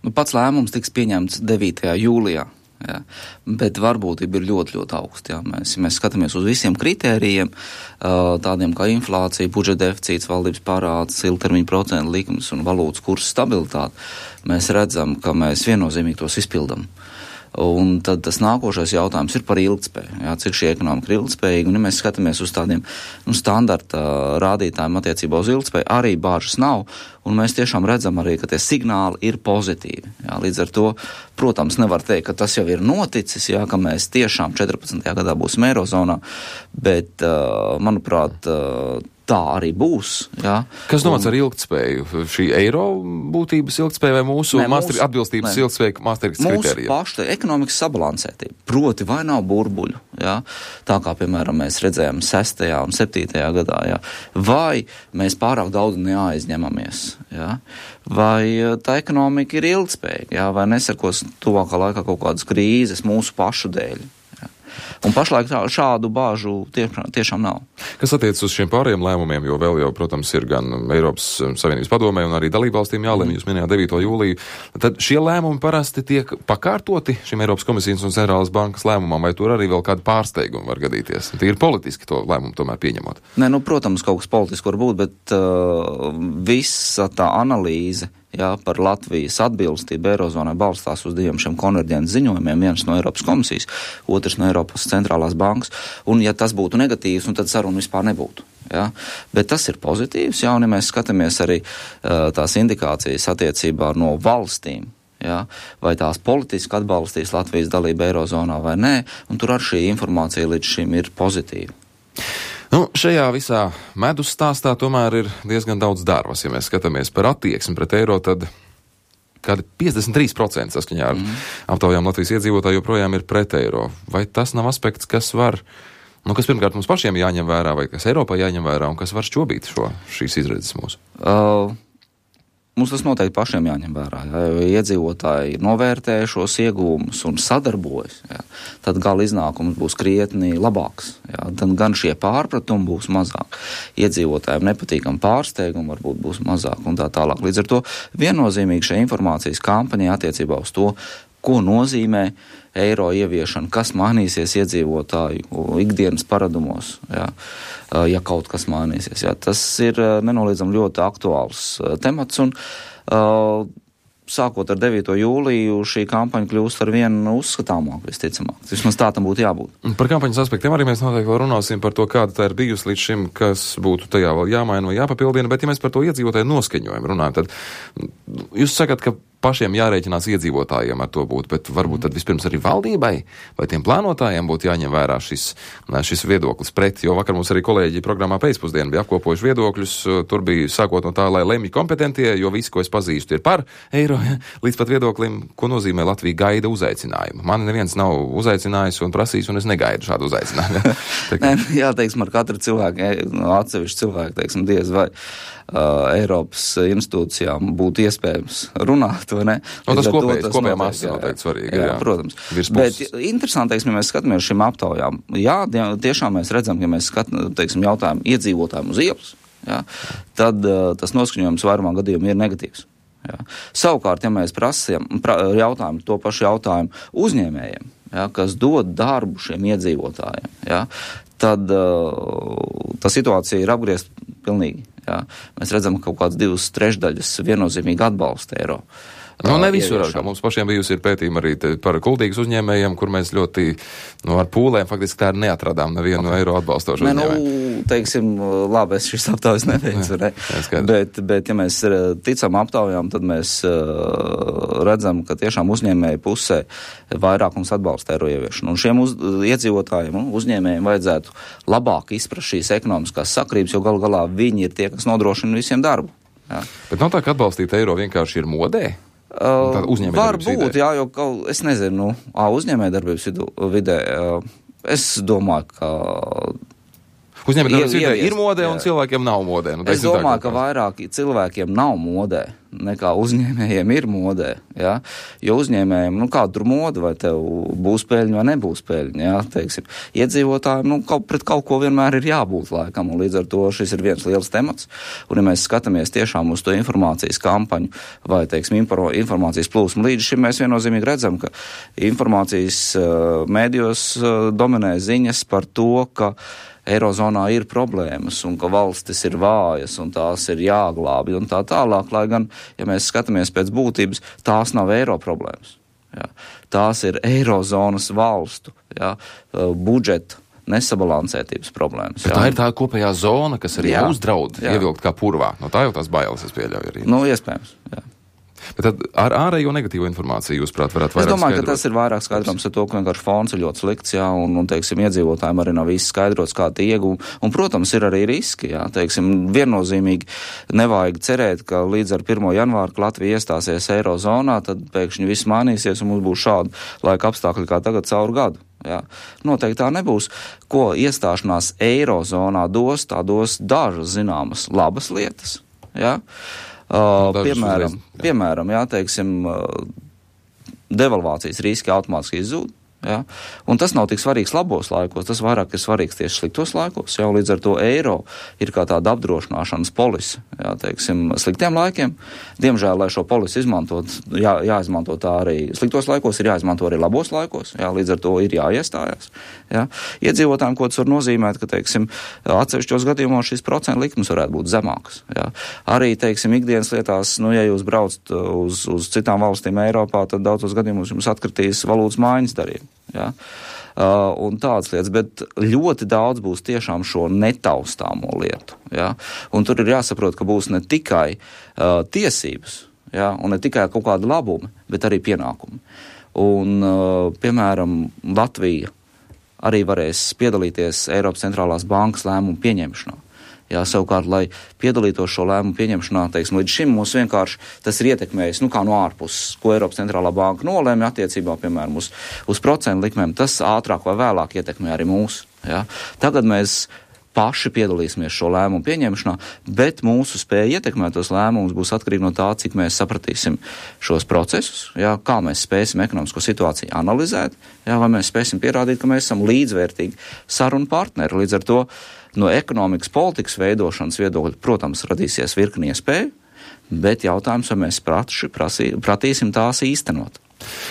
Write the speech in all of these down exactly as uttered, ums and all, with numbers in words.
Nu, pats lēmums tiks pieņemts devītajā jūlijā. Jā. Bet varbūtība ir ļoti, ļoti augsta. Jā. Mēs, ja mēs skatāmies uz visiem kritērijiem, tādiem kā inflācija, budžeta deficīts, valdības parāds, ilgtermiņa procentu likums un valūtas kursa stabilitāte, mēs redzam, ka mēs viennozīmīgi tos izpildam. Un tad tas nākošais jautājums ir par ilgtspēju. Jā, cik šī ekonomika ir ilgtspējīga, un ja mēs skatāmies uz tādiem nu, standarta rādītājiem attiecībā uz ilgtspēju, arī bāžas nav, un mēs tiešām redzam arī, ka tie signāli ir pozitīvi. Jā, līdz ar to, protams, nevar teikt, ka tas jau ir noticis, jā, ka mēs tiešām četrpadsmitajā gadā būsim Eirozonā, bet, manuprāt, tā arī būs. Jā. Kas domāts un... ar ilgtspēju? Šī eiro būtības ilgtspēja vai mūsu, ne, mūsu master, atbilstības ne. ilgtspēja Maastrichtas kritērijiem? Mūsu paša ekonomikas sabalansētība. Proti, vai nav burbuļu, jā? Tā kā, piemēram, mēs redzējām sestajā un septītajā gadā, jā? Vai mēs pārāk daudz neaizņemamies, jā? Vai tā ekonomika ir ilgtspējīga, jā? Vai nesakos tuvākā laikā kaut kādas krīzes mūsu pašu dēļ. Un pašlaik šādu bāžu tiešām, tiešām nav. Kas attiecas uz šiem pārējiem lēmumiem, jo vēl jau, protams, ir gan Eiropas Savienības padomē un arī dalībvalstīm jālēm, jūs minējāt devīto jūliju, tad šie lēmumi parasti tiek pakārtoti šim Eiropas komisijas un centrālās bankas lēmumam, vai tur arī vēl kādu pārsteigumu var gadīties? Tie ir politiski to lēmumu tomēr pieņemot. Nē, nu, protams, kaut kas politiski var būt, bet uh, visa tā analīze, jā, par Latvijas atbilstību Eirozonai balstās uz diviem šiem konverģences ziņojumiem, viens no Eiropas komisijas, otrs no Eiropas centrālās bankas, un ja tas būtu negatīvs, un tad saruna vispār nebūtu. Jā. Bet tas ir pozitīvs, jā, un ja mēs skatāmies arī uh, tās indikācijas attiecībā no valstīm, jā, vai tās politiski atbalstīs Latvijas dalību Eirozonā vai nē, un tur ar šī informācija līdz šim ir pozitīva. Nu, šajā visā medus stāstā tomēr ir diezgan daudz darbas. Ja mēs skatāmies par attieksmi pret eiro, tad kādi piecdesmit trīs procenti saskaņā ar mm. aptaujām Latvijas iedzīvotāju joprojām ir pret eiro. Vai tas nav aspekts, kas var, nu, kas pirmkārt mums pašiem jāņem vērā, vai kas Eiropā jāņem vērā, un kas var šķobīt šo, šīs izredzes mūsu? Uh. Mums tas noteikti pašiem jāņem vērā, jā, jo iedzīvotāji novērtē šos iegūmus un sadarbojas, jā, tad gala iznākums būs krietni labāks, jā, tad gan šie pārpratumi būs mazāk, iedzīvotājiem nepatīkam pārsteigumi varbūt būs mazāk un tā tālāk. Līdz ar to viennozīmīgi šī informācijas kampaņa attiecībā uz to, ko nozīmē eiro ieviešana, kas mainīsies iedzīvotāju ikdienas paradumos, jā, ja kaut kas mainīsies. Jā. Tas ir nenoliedzami ļoti aktuāls temats, un uh, sākot ar devīto jūliju šī kampaņa kļūst ar vienu uzskatāmāk, visticamāk. Vismaz tā tam būtu jābūt. Par kampaņas aspektiem arī mēs noteikti vēl runāsim par to, kāda tā ir bijusi līdz šim, kas būtu tajā vēl jāmaina vai jāpapildina, bet ja mēs par to iedzīvotāju noskaņojumu runājam, tad jūs sakat, ka pašiem jārēķinās iedzīvotājiem ar to būt, bet varbūt tad vispirms arī valdībai vai tiem plānotājiem būtu jāņem vērā šis, šis viedoklis pret, jo vakar mums arī kolēģi programmā pēcpusdienu bija apkopojuši viedokļus, tur bija sākot no tā, lai lemj kompetentie, jo visi, ko es pazīstu, ir par eiro, ja, līdz pat viedoklim, ko nozīmē Latvija gaida uzaicinājumu. Man neviens nav uzaicinājis un prasījis, un es negaidu šādu uzaicinājumu. Nē, jā, teiksim, ar katru cilvēku, atsevišķu cilvēku, teiksim, diez vai uh, Eiropas institūcijām būtu iespējams runāt, vai ne? No, tas kopējais, kopējā masa noteikti svarīgi. Jā, jā, protams. Bet interesanti, teiksim, ja mēs skatāmies šīm aptaujām. Jā, tiešām mēs redzam, ja mēs skatāmies, teiksim, jautājumu iedzīvotājiem uz ielas, jā, tad uh, tas noskaņojums vairumā gadījumā ir negatīvs. Jā. Savukārt, ja mēs prasījam, pra, jautājam to pašu jautājumu uzņēmējiem, jā, kas dod darbu šiem iedzīvotājiem, jā, tad uh, tā situācija ir apgriezta pilnīgi. Jā. Mēs redzam, ka kaut kāds divas trešdaļas viennozīmīgi atbalsta eiro. Nu, ne visur, kā mums pašiem bijusi ir pētījumi arī par kuldīgas uzņēmējiem, kur mēs ļoti, nu, ar pūlēm faktiski tā neatradām nevienu okay. eiro atbalstošu ne, uzņēmēju. Nu, teiksim, labi, es šis aptaujas neveicu, ne? bet, bet, ja mēs ticam aptaujām, tad mēs uh, redzam, ka tiešām uzņēmēju pusē vairākums atbalsta eiro ieviešanu. Un šiem uz, iedzīvotājiem, nu, uzņēmējiem vajadzētu labāk izprast šīs ekonomiskās sakrības, jo galu galā viņi ir tie, kas nodrošina visiem darbu. Jā. Bet nav tā, ka atbalstīt eiro vienkārši ir modē? Uh, var būt, jā, jo kaut, es nezinu, nu, uzņēmējdarbības vidē, uh, es domāju, ka uzņēmējdarbības vidē ir modē un cilvēkiem nav modē. Nu, es domāju, tā, ka vairāk cilvēkiem nav modē nekā uzņēmējiem ir modē, Ja? Jo uzņēmējiem, nu kāda tur moda, vai tev būs peļņa vai nebūs peļņa, ja? Teiksim, iedzīvotājiem, nu kaut, pret kaut ko vienmēr ir jābūt laikam, un līdz ar to šis ir viens liels temats, un ja mēs skatāmies tiešām uz to informācijas kampaņu vai, teiksim, informācijas plūsmu, līdz šim mēs viennozīmīgi redzam, ka informācijas uh, mēdījos uh, dominē ziņas par to, ka Eirozonā ir problēmas un ka valstis ir vājas un tās ir jāglābi un tā tālāk, lai gan, ja mēs skatāmies pēc būtības, tās nav eiro problēmas. Jā. Tās ir Eirozonas valstu, jā, budžeta nesabalansētības problēmas. Bet jā. Tā ir tā kopējā zona, kas arī jā. uzdraud jā. ievilkt kā purvā. No tā jau tās bailes es pieļauju arī. Nu, iespējams, jā. Bet tad ar ārējo negatīvo informāciju jūs, prāt, varētu vairāk Es domāju, skaidrot? ka tas ir vairāk skaidrojums ar to, ka vienkārši fons ir ļoti slikts, jā, un, un, teiksim, iedzīvotājiem arī nav viss skaidrots, kā tie iegūmi. Un, protams, ir arī riski, jā, teiksim, viennozīmīgi nevajag cerēt, ka līdz ar pirmo janvāru, ka Latvija iestāsies Eirozonā, tad pēkšņi viss mainīsies un mums būs šādi laika apstākļi kā tagad caur gadu. Jā. Noteikti tā nebūs. Ko iestāšanās Eirozonā dos, tā dos dažas zināmas labas lietas, jā. Uh, piemēram, uzreiz, jā. piemēram, jā, teiksim, uh, devalvācijas riski automātiski izzūd, jā, un tas nav tik svarīgs labos laikos, tas vairāk ir svarīgs tieši sliktos laikos, jā, līdz ar to eiro ir kā tāda apdrošināšanas polise, jā, teiksim, sliktiem laikiem. Diemžēl, lai šo polisi izmantot, jā, jāizmanto tā arī sliktos laikos, ir jāizmanto arī labos laikos, jā, līdz ar to ir jāiestājās, jā. Iedzīvotājiem, ko tas var nozīmēt, ka, teiksim, atsevišķos gadījumos šīs procentu likmes varētu būt zemākas, jā. Arī, teiksim, ikdienas lietās, nu, ja jūs braucat uz, uz citām valstīm Eiropā, tad daudzos gadījumos jums atkritīs valūtas maiņas darījumi. Ja? Uh, un tādas lietas, bet ļoti daudz būs tiešām šo netaustāmo lietu. Ja? Un tur ir jāsaprot, ka būs ne tikai uh, tiesības, ja? Un ne tikai kaut kāda labuma, bet arī pienākumi. Un, uh, piemēram, Latvija arī varēs piedalīties Eiropas centrālās bankas lēmumu pieņemšanā. Jā, savukārt, lai piedalītos šo lēmumu pieņemšanā, teiksim, līdz šim mums vienkārši tas ir ietekmējis, nu kā no ārpuses, ko Eiropas centrālā banka nolēma attiecībā, piemēram, uz, uz procentu likmēm, tas ātrāk vai vēlāk ietekmē arī mūs. Jā. Tagad mēs paši piedalīsimies šo lēmumu pieņemšanā, bet mūsu spēja ietekmēt tos lēmumus būs atkarīgi no tā, cik mēs sapratīsim šos procesus, jā, kā mēs spēsim ekonomisko situāciju analizēt, jā, vai mēs spēsim pierādīt, ka mēs esam līdzvērtīgi sarunu partneri. Līdz ar to no ekonomikas politikas veidošanas viedokļa, protams, radīsies virkni iespēju, bet jautājums, vai mēs praši, prasī, pratīsim tās īstenot.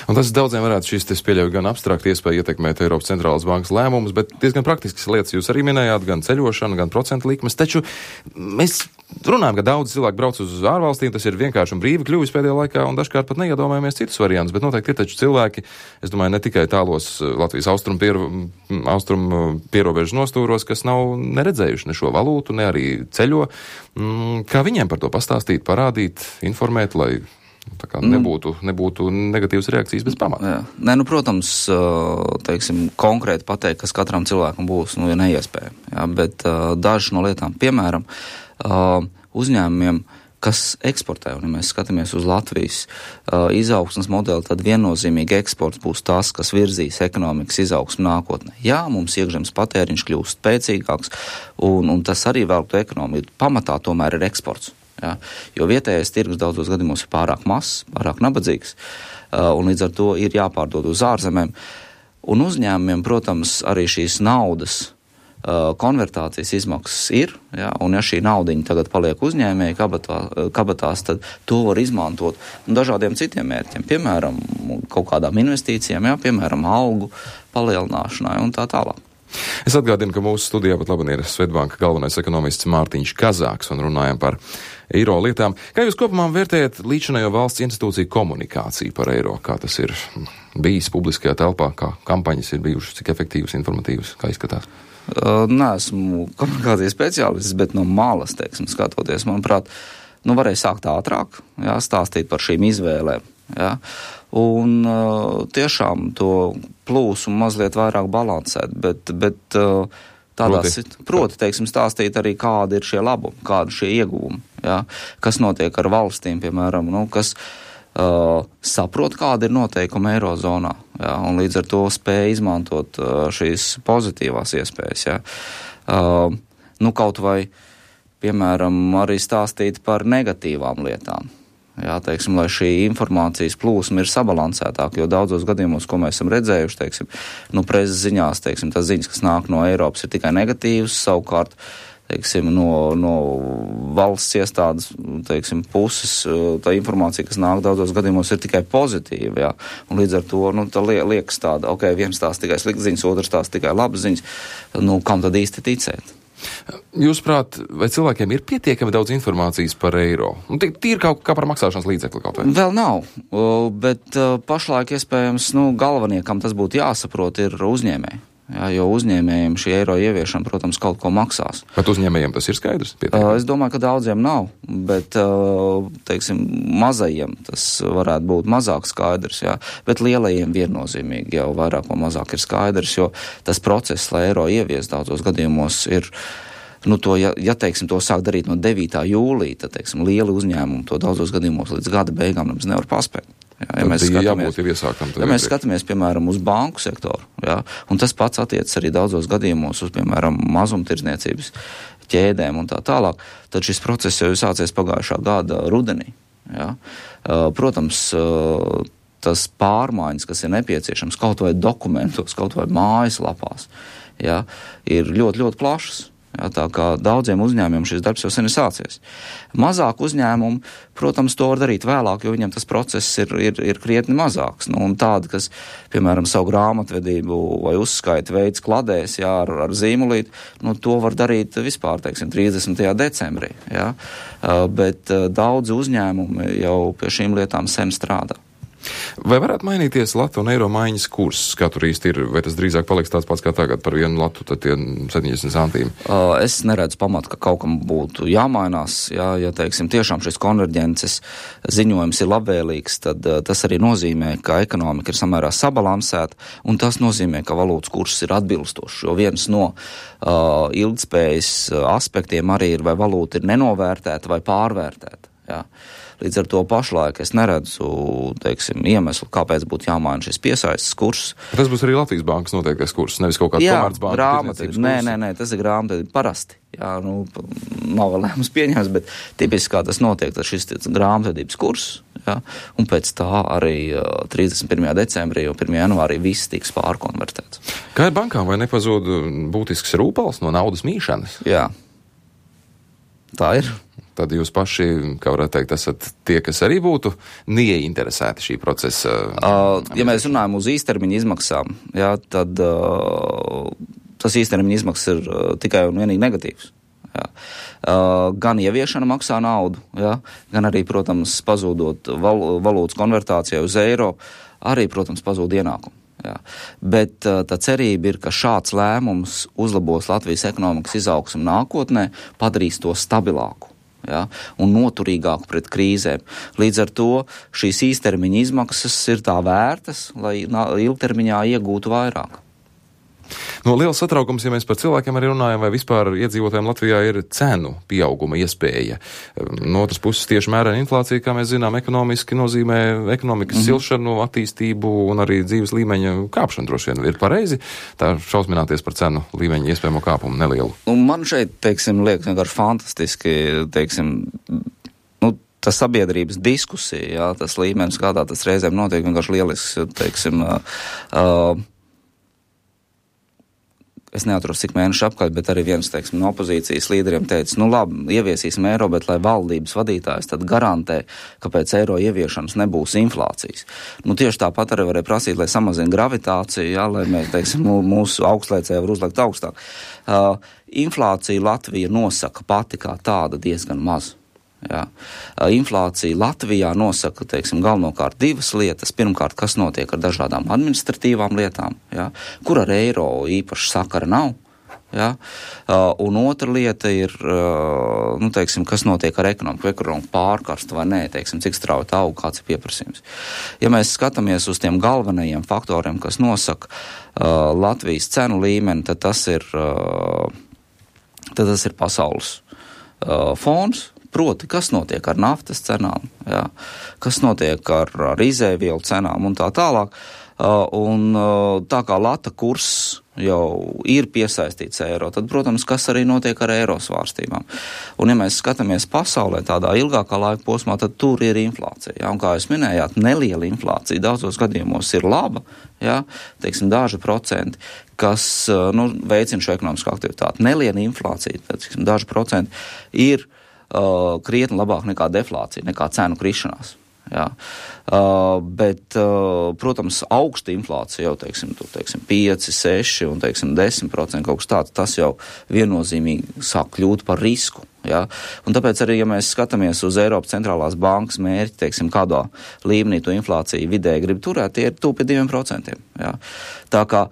Un tas daudziem varētu šīs, es pieļauju, gan abstrakti iespēja ietekmēt Eiropas centrālās bankas lēmumus, bet diezgan praktiskas lietas jūs arī minējāt, gan ceļošana, gan procentu likmes. Taču mēs runājam, ka daudz cilvēku brauc uz ārvalstīm, tas ir vienkārši un brīvi kļuvis pēdējā laikā, un dažkārt pat neiedomājamies citus variantus, bet noteikti ir taču cilvēki, es domāju, ne tikai tālos Latvijas austrumu piero, austrum pierobežas nostūros, kas nav neredzējuši ne šo valūtu, ne arī ceļo. Kā viņiem par to pastāstīt, parādīt, informēt, lai tā kā nebūtu, nebūtu negatīvas reakcijas bez pamata. Jā. Nē, nu, protams, teiksim, konkrēti pateikt, kas katram cilvēkam būs, nu, ja neiespējami. Jā, bet uh, dažas no lietām, piemēram, uh, uzņēmumiem, kas eksportē, un ja mēs skatāmies uz Latvijas uh, izaugsmas modeli, tad viennozīmīgi eksports būs tas, kas virzīs ekonomikas izaugsmu nākotnē. Jā, mums iekšzemes patēriņš kļūst spēcīgāks, un, un tas arī vēl to ekonomiku. Pamatā tomēr ir eksports. Jā, jo vietējais tirgus daudzos gadījumos ir pārāk mazs, pārāk nabadzīgs, uh, un līdz ar to ir jāpārdod uz ārzemēm. Un uzņēmumiem, protams, arī šīs naudas uh, konvertācijas izmaksas ir, jā, un ja šī naudiņa tagad paliek uzņēmēji kabatā, kabatās, tad to var izmantot dažādiem citiem mērķiem, piemēram, kaut kādām investīcijām, jā, piemēram, algu palielināšanai un tā tālāk. Es atgādinu, ka mūsu studijā pat labi ir Svetbanka galvenais ekonomists Mārtiņš Kazāks un runājam par eiro lietām. Kā jūs kopumā vērtējat līdzinējo valsts institūciju komunikāciju par eiro? Kā tas ir bijis publiskajā telpā, kā kampaņas ir bijušas, cik efektīvas, informatīvas, kā izskatās? Uh, Neesmu komunikācijas speciālists, bet no malas, teiksim, skatoties, manuprāt, nu varēja sākt ātrāk, jā, stāstīt par šīm izvēlēm. Ja? Un uh, tiešām to plūsumu mazliet vairāk balansēt, bet, bet uh, tādās, proti. proti, teiksim, stāstīt arī, kādi ir šie labumi, kādi šie ieguvumi, ja? Kas notiek ar valstīm, piemēram, nu, kas uh, saprot, kāda ir noteikuma Eirozonā, ja? Un līdz ar to spēja izmantot uh, šīs pozitīvās iespējas, ja? uh, nu, kaut vai, piemēram, arī stāstīt par negatīvām lietām. Jā, teiksim, lai šī informācijas plūsma ir sabalansētāka, jo daudzos gadījumos, ko mēs esam redzējuši, teiksim, nu, preses ziņās, teiksim, tas ziņas, kas nāk no Eiropas, ir tikai negatīvas, savukārt, teiksim, no, no valsts iestādes, teiksim, puses, tā informācija, kas nāk daudzos gadījumos, ir tikai pozitīva, jā, un līdz ar to, nu, tā liekas tāda, ok, viens tās tikai sliktas ziņas, otrs tās tikai labas ziņas, nu, kam tad īsti ticēt? Jūsuprāt, vai cilvēkiem ir pietiekami daudz informācijas par eiro? Nu, tīri kā, kā par maksāšanas līdzekli kaut vai? Vēl nav, bet pašlaik iespējams, nu, galvenie, kam tas būtu jāsaprot, ir uzņēmēji. Jā, jo uzņēmējiem šī eiro ieviešana, protams, kaut ko maksās. Bet uzņēmējiem tas ir skaidrs? Pietiekami? Es domāju, ka daudziem nav, bet, teiksim, mazajiem tas varētu būt mazāk skaidrs, jā, bet lielajiem viennozīmīgi jau vairāk vai mazāk ir skaidrs, jo tas process, lai eiro ievies daudzos gadījumos, ir, nu, to, ja, ja teiksim, to sāk darīt no devītā jūlija, tad, teiksim, lieli uzņēmumi to daudzos gadījumos līdz gada beigām nemaz nevar paspēt. Jā, ja mēs, skatāmies, jābūt, ja mēs skatāmies, piemēram, uz banku sektoru, jā, un tas pats attiecas arī daudzos gadījumos uz, piemēram, mazumtirdzniecības ķēdēm un tā tālāk, tad šis process jau ir sācies pagājušā gada rudenī. Jā. Protams, tas pārmaiņas, kas ir nepieciešams kaut vai dokumentos, kaut vai mājaslapās, jā, ir ļoti, ļoti plašas. Jā, tā kā daudziem uzņēmumiem šis darbs jau sen ir sācies. Mazāk uzņēmumu, protams, to var darīt vēlāk, jo viņam tas process ir, ir, ir krietni mazāks. Nu, un tādi, kas, piemēram, savu grāmatvedību vai uzskaiti veids kladēs, jā, ar, ar zīmulīti, nu, to var darīt vispār, teiksim, trīsdesmitajā decembrī. Jā. Bet daudzi uzņēmumi jau pie šīm lietām sen strādā. Vai varētu mainīties latu un eiro maiņas kurs? Kā tur īsti ir? Vai tas drīzāk paliks tāds pats kā tagad par vienu latu, tad tie septiņdesmit centīm? Uh, es neredzu pamatu, ka kaut kam būtu jāmainās. Jā, ja, teiksim, tiešām šis konverģences ziņojums ir labvēlīgs, tad uh, tas arī nozīmē, ka ekonomika ir samērā sabalansēta, un tas nozīmē, ka valūtas kurs ir atbilstošs, jo viens no uh, ilgtspējas aspektiem arī ir, vai valūta ir nenovērtēta vai pārvērtēta. Jā. Līdz ar to pašlaik es neredzu, teiksim, iemeslu, kāpēc būtu jāmaina šis piesaistes kurs. Tas būs arī Latvijas bankas noteiktais kurs, nevis kaut kāds Komercbankas tirdzniecības kurs. Nē, nē, nē, tas ir grāmatvedība parasti. Jā, nu, nav vēl lēmums pieņems, bet tipiski kā tas notiek, tas šis grāmatvedības kurs, jā, un pēc tā arī trīsdesmit pirmajā decembrī un pirmajā janvārī viss tiks pārkonvertēts. Kā ir bankām, vai nepazūd būtisks rūpals no naudas mīšanas? Jā, tā ir. Tad jūs paši, kā varētu teikt, esat tie, kas arī būtu neieinteresēti šī procesa. Uh, ja mēs runājam uz īstermiņa izmaksām, jā, tad uh, tas īstermiņa izmaksas ir uh, tikai un vienīgi negatīvs. Jā. Uh, gan ieviešana maksā naudu, jā, gan arī, protams, pazūdot val, valūtas konvertācijai uz eiro, arī, protams, pazūd ienākumu. Jā. Bet uh, tā cerība ir, ka šāds lēmums uzlabos Latvijas ekonomikas izaugsmu nākotnē, padarīs to stabilāku. Ja, un noturīgāku pret krīzēm. Līdz ar to šīs īstermiņa izmaksas ir tā vērtas, lai ilgtermiņā iegūtu vairāk. No liels satraukums, ja mēs par cilvēkiem arī runājam, vai vispār iedzīvotājiem Latvijā ir cenu pieauguma iespēja. No otras puses tieši mērena inflācija, kā mēs zinām, ekonomiski nozīmē ekonomikas mm-hmm. silšanu, attīstību un arī dzīves līmeņa kāpšanu droši vien ir pareizi. Tā šausmināties par cenu līmeņa iespējamo kāpumu nelielu. Un man šeit, teiksim, liekas vienkārši fantastiski, teiksim, nu, tas sabiedrības diskusija, jā, tas līmenis, kādā tas reizēm notiek, vienkārši lielisks, teiksim, uh, es neatceros, cik mēnešu apkārt, bet arī viens, teiksim, no opozīcijas līderiem teica, nu labi, ieviesīsim eiro, bet lai valdības vadītājs tad garantē, ka pēc eiro ieviešanas nebūs inflācijas. Nu tieši tāpat arī varēja prasīt, lai samazina gravitāciju, jā, lai mēs, teiksim, mūsu augstlaicēji var uzlikt augstāk. Uh, inflācija Latvija nosaka pati kā tāda diezgan maz. Jā. Inflācija Latvijā nosaka, teiksim, galvenokārt divas lietas. Pirmkārt, kas notiek ar dažādām administratīvām lietām, jā, kur ar eiro īpaši sakara nav. Jā. Un otra lieta ir, nu, teiksim, kas notiek ar ekonomiku, ekonomiku pārkarstu vai nē, teiksim, cik strauji aug, kāds ir pieprasījums. Ja mēs skatāmies uz tiem galvenajiem faktoriem, kas nosaka uh, Latvijas cenu līmeni, tad tas ir, uh, tad tas ir pasaules uh, fons. Proti, kas notiek ar naftas cenām, jā, kas notiek ar, ar izēvielu cenām un tā tālāk. Uh, un uh, tā kā lata kurs jau ir piesaistīts eiro, tad, protams, kas arī notiek ar eiro svārstībām. Un, ja mēs skatāmies pasaulē tādā ilgākā laika posmā, tad tur ir inflācija. Ja? Un, kā jūs minējāt, neliela inflācija daudzos gadījumos ir laba, ja? Teiksim, daži procenti, kas nu, veicina šo ekonomisko aktivitāti. Neliela inflācija, teiksim, daži procenti ir uh, krietni labāk nekā deflācija, nekā cenu krišanās. Jā. Uh, bet, uh, protams, augsta inflācija jau, teiksim, tu, teiksim, pieci, seši un, teiksim, desmit procenti kaut kas tāds, tas jau viennozīmīgi sāk kļūt par risku. Jā. Un tāpēc arī, ja mēs skatāmies uz Eiropas centrālās bankas mērķi, teiksim, kādā līmenī to inflāciju vidēji grib turēt, tie ir tuvu pie diviem procentiem. Jā. Tā kā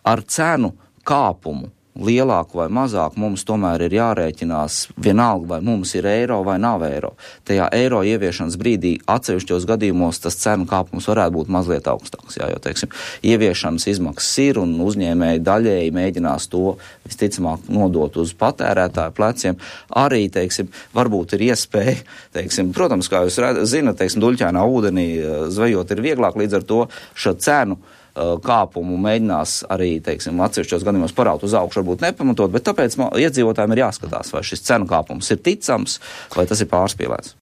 ar cenu kāpumu lielāku vai mazāku mums tomēr ir jārēķinās vienalga, vai mums ir eiro vai nav eiro. Tajā eiro ieviešanas brīdī atsevišķos gadījumos tas cenu kāpums varētu būt mazliet augstāks. Jā, jo, teiksim, ieviešanas izmaksas ir un uzņēmēji daļēji mēģinās to visticamāk nodot uz patērētāju pleciem. Arī, teiksim, varbūt ir iespēja, teiksim, protams, kā jūs zinat, teiksim, duļķainā ūdenī zvejot ir vieglāk, līdz ar to šo cenu kāpumu mēģinās arī, teiksim, atsevišķos gadījumos paraut uz augšu, varbūt nepamatot, bet tāpēc iedzīvotājiem ir jāskatās, vai šis cenu kāpums ir ticams, vai tas ir pārspīlēts.